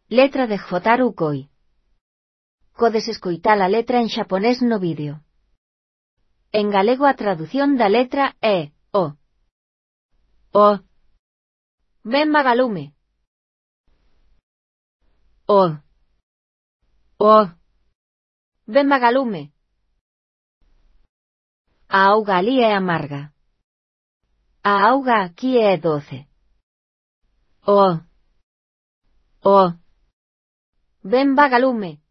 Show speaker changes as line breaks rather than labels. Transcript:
Letra de Jotaro Koi. Podes escoitar a letra en xaponés no vídeo. En galego a tradución da letra é o. O. Ben vagalume. O. O. Ben vagalume. A auga ali é amarga. A auga aquí é doce. O. O. Ben vagalume.